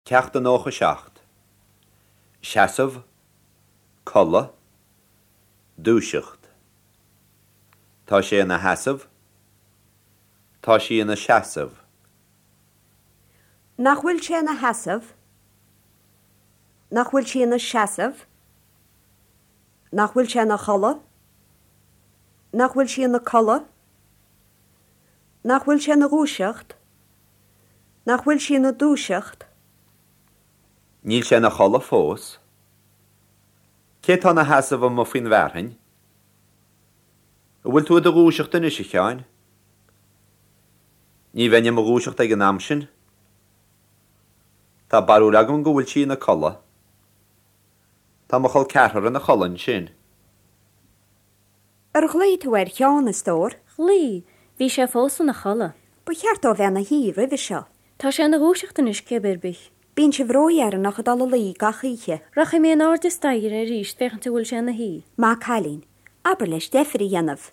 Ceacht 97. Seasamh, Codladh, Dúiseacht. Tá sé ina sheasamh. Tá sí ina seasamh. Nach bhfuil sé ina sheasamh? Nach bhfuil sí ina seasamh? Nach bhfuil sé ina chodladh? Nach bhfuil sí ina codladh? Nach bhfuil sé ina dhúiseacht? Nach bhfuil sí ina dúiseacht? Níl sé ina chodladh fós. Cé atá ina sheasamh amuigh faoin bhfearthainn? An bhfuil tú i do dhúiseacht anois, a Sheáin? Ní bheinn i mo dhúiseacht ag an am sin. Tá barúil agam go bhfuil sí ina codladh. Tá mo chol ceathrar ina chodladh ansin. Ar ghlaoigh tú ar Sheán, a stór? Ghlaoigh. Bhí sé fós ina chodladh. Ba cheart dó bheith ina shuí roimhe seo. Tá sé ina dhúiseacht anois cibé ar bith. Bíonn sibh ródheireanach ag dul a luí gach oíche. Rachaidh mé in airde staighre arís féachaint an bhfuil sé ina shuí. Maith cailín. Abair leis deifir a dhéanamh.